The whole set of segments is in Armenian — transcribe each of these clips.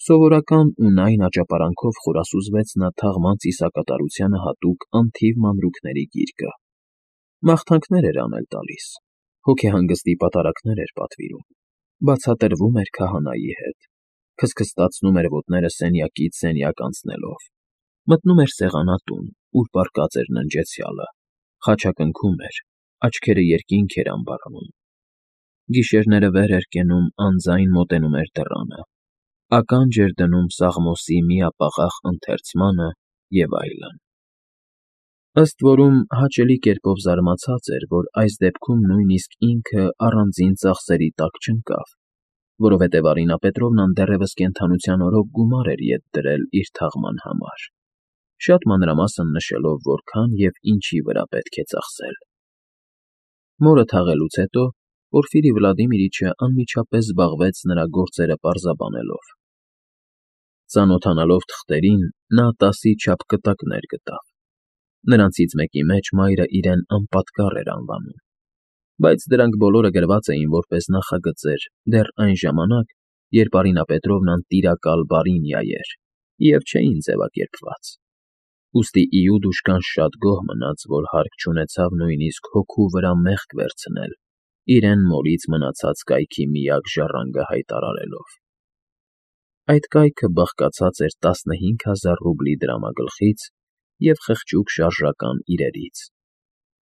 Սովորական ու նայն աճապարանքով խորասուզվեց նա թաղման ծիսակատարությանը հատուկ անթիվ մանրուքների գիրկը, մաղթանքներ էր անել տալիս, հոգեհանգստի պատարագներ էր պատվիրում, բացատրվում էր քահանայի հետ, քստքստացնում էր ոտները սենյակից սենյակ անցնելով, մտնում էր սեղանատուն, ուր պառկած էր ննջեցյալը, խաչակնքում էր, աչքերը երկինք էր ամբարանում, գիշերները վեր էր կենում, անձայն մոտենում էր դռանը, ականջ էր դնում Սաղմոսի միապաղաղ ընթերցմանը և այլն։ Ըստ որում հաճելի կերպով զարմացած էր, որ այս դեպքում նույնիսկ ինքը առանձին ծախսերի տակ չընկավ, որովհետև Արինա Պետրովնան դեռևս կենդանության օրոք գումար էր ետ դրել իր թաղման համար, շատ մանրամասն նշելով որքան և ինչի վրա պետք է ծախսել։ Մորը թաղելուց հետո Պորֆիրի Վլադիմիրիչը անմիջապես զբաղվեց նրա գործերը պարզաբանելով։ Ծանոթանալով թղթերին, նա 10-ի չափ կտակներ գտավ։ Նրանցից մեկի մեջ մայրը իրեն անպատկառ էր անվանում, բայց դրանք բոլորը գրված էին որպես նախագծեր դեռ այն ժամանակ, երբ Արինա Պետրովնան տիրակալ Բարինյա էր և չէին ձևակերպված։ Ուստի Իուդուշկան շատ գոհ մնաց, որ հարկ չունեցավ նույնիսկ հոգու վրա մեղք վերցնել, իրեն մորից մնացած կայքի միակ ժառանգը հայտարարելով։ Այդ կայքը բաղկացած էր 15,000 ռուբլի դրամագլխից և խղճուկ շարժական իրերից,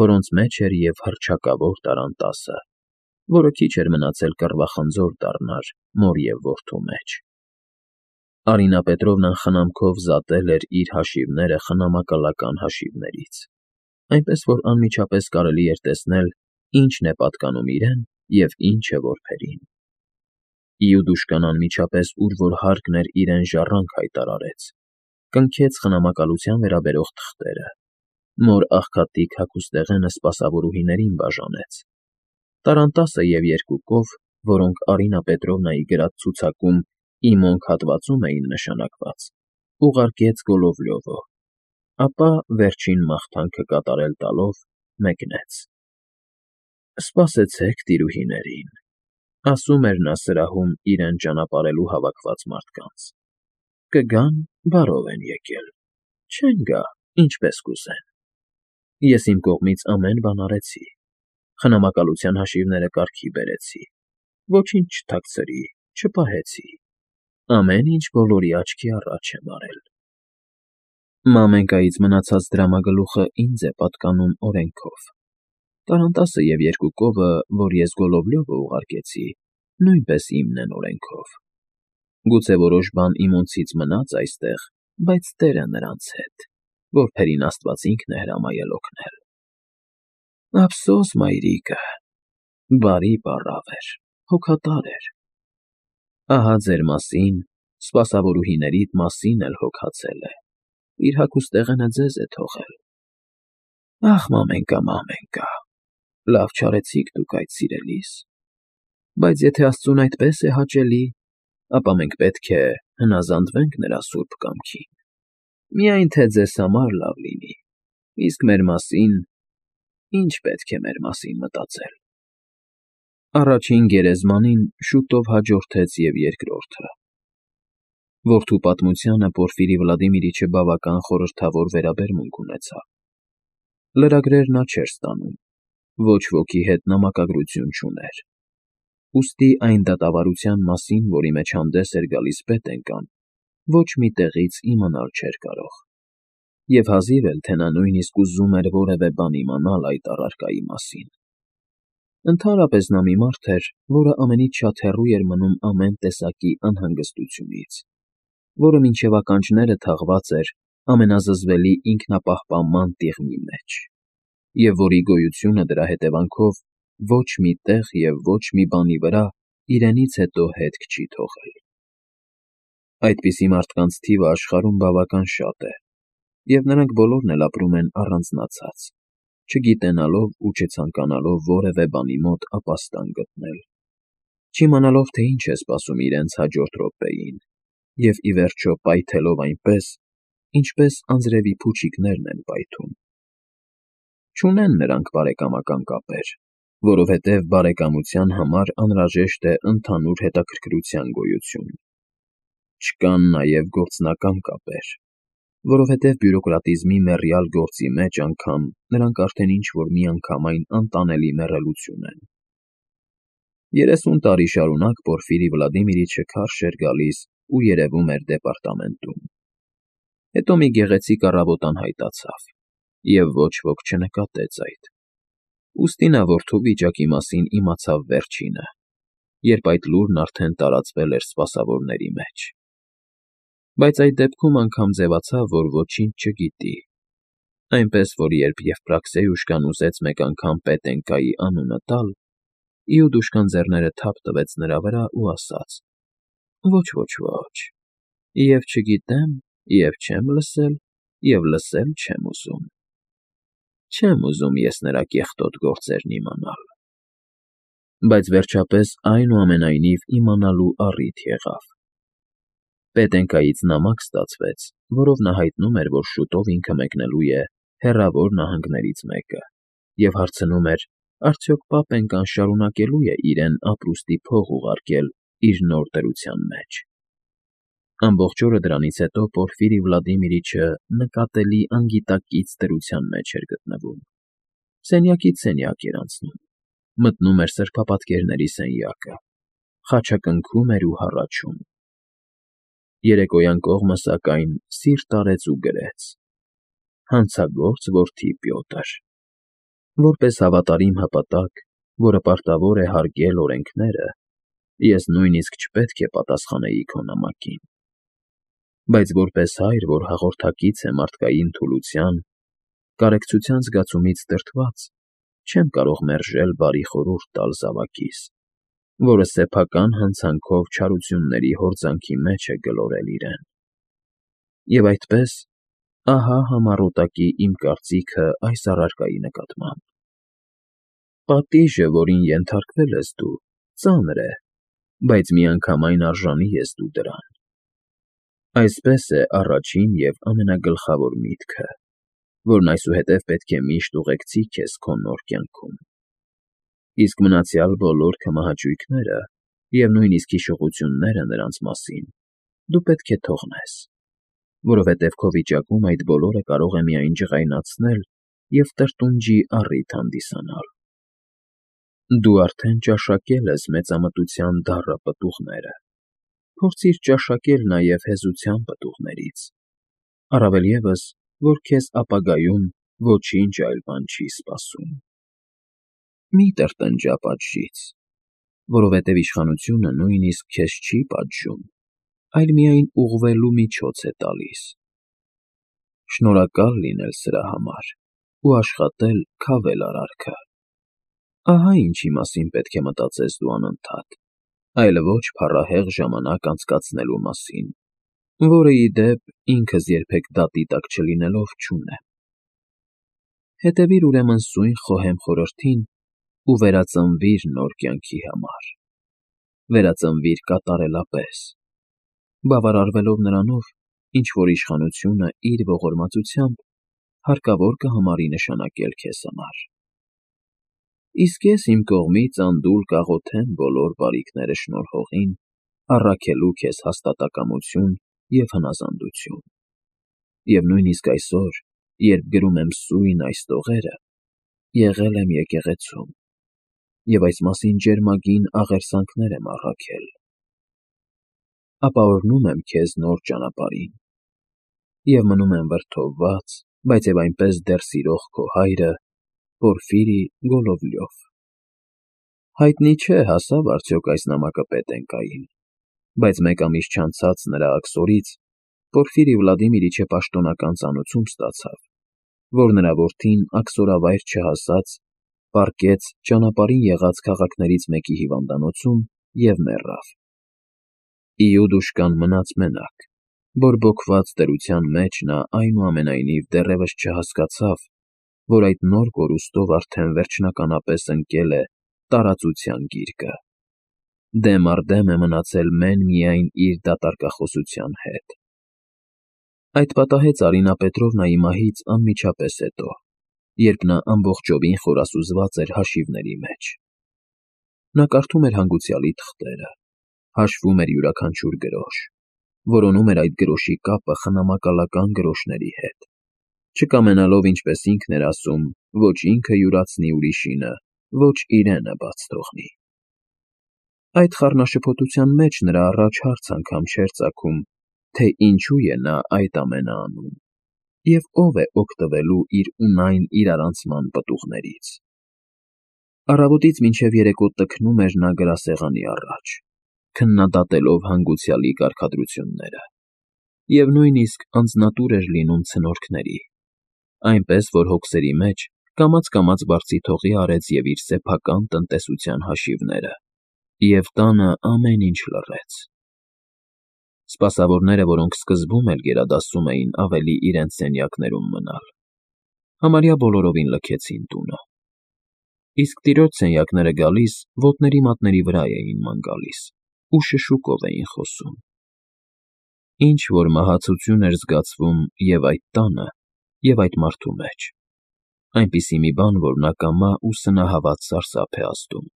որոնց մեջ էր և հռչակավոր տարանտասը, որը քիչ էր մնացել կռվախնձոր դառնար մոր և որդու մեջ։ Արինա Պետրովնան խնամքով զատել էր իր հաշիվները խնամակալական հաշիվներից, այնպես որ անմիջապես կարելի էր տեսնել, ինչն է պատկանում իրեն և ինչը որբերին։ Իուդուշկան անմիջապես ուր որ հարկն էր իրեն ժառանգ հայտարարեց, կնքեց խնամակալության վերաբերող թղթերը, մոր աղքատիկ հագուստեղենը սպասավորուհիներին բաժանեց, տարանտասը և երկու կով, որոնք Արինա Պետրովնայի գրած ցուցակում «Իմոնք» հատվածում էին նշանակված, ուղարկեց Գոլովլյովը, ապա վերջին մաղթանքը կատարել տալով մեկնեց։ «Սպասեցեք տիրուհիներին», ասում էր նա սրահում իրեն ճանապարհելու հավաքված մարդկանց, «կգան, բարով են եկել, չեն գա, ինչպես կուզեն։ Ես իմ կողմից ամեն բան արեցի, խնամակալության հաշիվները կարգի բերեցի, ոչինչ չթաքցրի, չպահեցի, ամեն ինչ բոլորի աչքի առաջ եմ արել։ Մամենկայից մնացած դրամագլուխը ինձ է պատկանում օրենքով։ Տարանտասը և երկու կովը, որ ես Գոլովլյովը ուղարկեցի, նույնպես իմն են օրենքով։ Գուցե որոշ բան իմոնցից մնաց այստեղ, բայց տերը նրանց հետ, որբերին Աստված ինքն է հրամայել օգնել։ Ափսոս մայրիկը, բարի պառավ էր, հոգատար էր։ Ահա ձեր մասին, սպասավորուհիներիդ մասին էլ հոգացել է, իր հագուստեղենը ձեզ է թողել։ Ախ, մամենկա, մամենկա, լավ չարեցիք դուք այդ սիրելիս, բայց եթե Աստծուն այդպես է հաճելի, ապա մենք պետք է հնազանդվենք նրա սուրբ կամքին, միայն թե ձեզ համար լավ լինի, իսկ մեր մասին, ինչ պետք է մեր մասին մտածել։ Առաջին գերեզմանին շուտով հաջորդեց և երկրորդը։ Որդու պատմությանը Պորֆիրի Վլադիմիրիչը բավական խորհրդավոր վերաբերմունք ունեցավ։ Լրագրեր նա չէր ստանում, ոչ ոքի հետ նամակագրություն չուներ, ուստի այն դատավարության մասին, որի մեջ հանդես էր գալիս պետենկան, ոչ մի տեղից իմանալ չէր կարող, և հազիվ էլ թե նա նույնիսկ ուզում էր որևէ բան իմանալ այդ առարկայի մասին։ Ընդհանրապես նա մի մարդ էր, որը ամենից շատ հեռու էր մնում ամեն տեսակի անհանգստությունից, որը մինչև ականջները թաղված էր ամենազզվելի ինքնապահպանման տիղմի մեջ, և որի գոյությունը դրա հետևանքով ոչ մի տեղ և ոչ մի բանի վրա իրենից հետո հետք չի թողել։ Այդպիսի մարդկանց թիվը աշխարհում բավական շատ է, և նրանք բոլորն էլ ապրում են առանձնացած, չգիտենալով ու չցանկանալով որևէ բանի մոտ ապաստան գտնել, չիմանալով, թե ինչ է սպասում իրենց հաջորդ րոպեին, և, ի վերջո, պայթելով այնպես, ինչպես անձրևի փուչիկներն են պայթում։ Չունեն նրանք բարեկամական կապեր, որովհետև բարեկամության համար անհրաժեշտ է ընդհանուր հետաքրքրության գոյություն։ Չկան նաև գործնական կապեր, որովհետև բյուրոկրատիզմի մեռյալ գործի մեջ անգամ նրանք արդեն ինչ-որ միանգամայն անտանելի մեռելություն են։ 30 տարի շարունակ Պորֆիրի Վլադիմիրիչը քարշ էր գալիս ու երևում էր դեպարտամենտում։ Հետո մի գեղեցիկ առավոտ անհայտացավ, և ոչ ոք չնկատեց այդ։ Ուստի նա որդու վիճակի մասին իմացավ վերջինը, երբ այդ լուրն արդեն տարածվել էր սպասավորների մեջ։ Բայց այդ դեպքում անգամ ձևացավ, որ ոչինչ չգիտի, այնպես որ երբ Եվպրաքսեյուշկան ուզեց մեկ անգամ Պետենկայի անունը տալ, Իուդուշկան ձեռները թափ տվեց նրա վրա ու ասաց. «Ոչ, և չգիտեմ, և չեմ լսել, և լսել չեմ ուզում։ Չեմ ուզում ես նրա կեղտոտ գործերն իմանալ»։ Բայց վերջապես այնուամենայնիվ իմանալու առիթ եղավ։ Պետենկայից նամակ ստացվեց, որով նա հայտնում էր, որ շուտով ինքը մեկնելու է հեռավոր նահանգներից մեկը, և հարցնում էր, արդյոք Պապենկան շարունակելու է իրեն ապրուստի փող ուղարկել իր նոր դրության մեջ։ Ամբողջ օրը դրանից հետո Պորֆիրի Վլադիմիրիչը նկատելի անգիտակից դրության մեջ էր գտնվում։ Սենյակից սենյակ էր անցնում, մտնում էր սրբապատկերների սենյակը, խաչակնքում էր ու հառաչում։ Երեկոյան կողմը, սակայն, սիրտ արեց ու գրեց. «Հանցագործ որդի Պյոտր, որպես հավատարիմ հպատակ, որը պարտավոր է հարգել օրենքները, ես նույնիսկ չպետք է պատասխանեի քո նամակին։ Բայց որպես հայր, որ հաղորդակից է մարդկային թուլության, կարեկցության զգացումից դրդված, չեմ կարող մերժել բարի խորհուրդ տալ զավակիս, որը սեփական հանցանքով չարությունների հորձանքի մեջ է գլորել իրեն։ Եվ այդպես, ահա համառոտակի իմ կարծիքը այս առարկայի նկատմամբ։ Պատիժը, որին ենթարկվել ես դու, ծանր է, բայց միանգամայն արժանի ես դու դրան։ Այսպես է առաջին և ամենագլխավոր միտքը, որն այսուհետև պետք է միշտ ուղեկցի քեզ քո նոր կյանքում։ Իսկ մնացյալ բոլոր քմահաճույքները և նույնիսկ հիշողությունները նրանց մասին դու պետք է թողնես, որովհետև քո վիճակում այդ բոլորը կարող է միայն ջղայնացնել և տրտունջի առիթ հանդիսանալ։ Դու արդեն ճաշակել ես մեծամտության դառը պտուղները, փորձիր ճաշակել նաև հեզության պտուղներից, առավել ևս, որ քեզ ապագայում ոչինչ այլ բան չի սպասում։ Մի տրտնջա պատժից, որովհետև իշխանությունը նույնիսկ քեզ չի պատժում, այլ միայն ուղղվելու միջոց է տալիս։ Շնորհակալ լինել սրա համար ու աշխատել քավել արարքը։ Ահա ինչի մասին պետք է մտածես դու անընդհատ, այլ ոչ փառահեղ ժամանակ անցկացնելու մասին, որը, ի դեպ, ինքս երբեք դատի տակ չլինելով չունեմ։ Հետևիր ուրեմն սույն խոհեմ խորհրդին ու վերածնվիր նոր կյանքի համար։ Վերածնվիր կատարելապես, բավարարվելով նրանով, ինչ որ իշխանությունը իր ողորմածությամբ հարկավոր կհամարի նշանակել քեզ համար։ Իսկ ես իմ կողմից անդուլ կաղոթեմ բոլոր բարիքները շնորհողին, առաքելու քեզ հաստատակամություն և հնազանդություն։ Եվ նույնիսկ այսօր, երբ գրում եմ սույն այս տողերը, եղել եմ եկեղեցում, և այս մասին ջերմագին աղերսանքներ եմ առաքել։ Ապաորհնում եմ քեզ նոր ճանապարհին և մնում եմ վրդովված, բայց և այնպես դեռ սիրող քո հայրը Պորֆիրի Գոլովլյով։ Հայտնի չէ հասավ արդյոք այս նամակը Պետենկային, բայց մեկ ամիս չանցած նրա աքսորից Պորֆիրի Վլադիմիրիչը պաշտոնական ծանուցում ստացավ, որ նրա որդին աքսորավայր չհասած պառկեց ճանապարհին եղած քաղաքներից մեկի հիվանդանոցում և մեռավ։ Իուդուշկան մնաց մենակ, բորբոքված դրության մեջ նա այնուամենայնիվ դեռևս չհասկացավ, որ այդ նոր կորուստով արդեն վերջնականապես ընկել է տարածության գիրկը, դեմ առ դեմ է մնացել մեն֊միայն իր դատարկախոսության հետ։ Այդ պատահեց Արինա Պետրովնայի մահից անմիջապես հետո, երբ նա ամբողջովին խորասուզված էր հաշիվների մեջ։ Նա կարդում էր հանգուցյալի թղթերը, հաշվում էր յուրաքանչյուր գրոշ, որոնում էր այդ գրոշի կապը խնամակալական գրոշների հետ, չկամենալով, ինչպես ինքն էր ասում, ոչ ինքը յուրացնի ուրիշինը, ոչ իրենը բաց թողնի։ Այդ խառնաշփոթության մեջ նրա առաջ հարց անգամ չէր ծագում, թե ինչու է նա այդ ամենը անում, և ով է օգտվելու իր ունայն իրարանցման պտուղներից։ Առավոտից մինչև երեկո տքնում էր նա գրասեղանի առաջ, քննադատելով հանգուցյալի կարգադրությունները, և նույնիսկ անձնատուր էր լինում ցնորքների, այնպես որ հոգսերի մեջ կամաց֊կամաց բարձիթողի արեց և իր սեփական տնտեսության հաշիվները, և տանը ամեն ինչ լռեց։ Սպասավորները, որոնք սկզբում էլ գերադասում էին ավելի իրենց սենյակներում մնալ, համարյա բոլորովին լքեցին տունը, իսկ տիրոջ սենյակները գալիս ոտների մատների վրա էին ման գալիս ու շշուկով էին խոսում։ Ինչ֊որ մահացություն էր զգացվում և այդ տանը, և այդ մարդու մեջ, այնպիսի մի բան, որ նա կամա ու սնահավատ սարսափ է ազդում։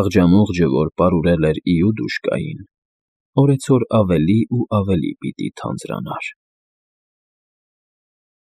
Աղջամուղջը, որ պարուրել էր իուդ ուշկային, օրեցօր ավելի ու ավելի պիտի թանձրանար։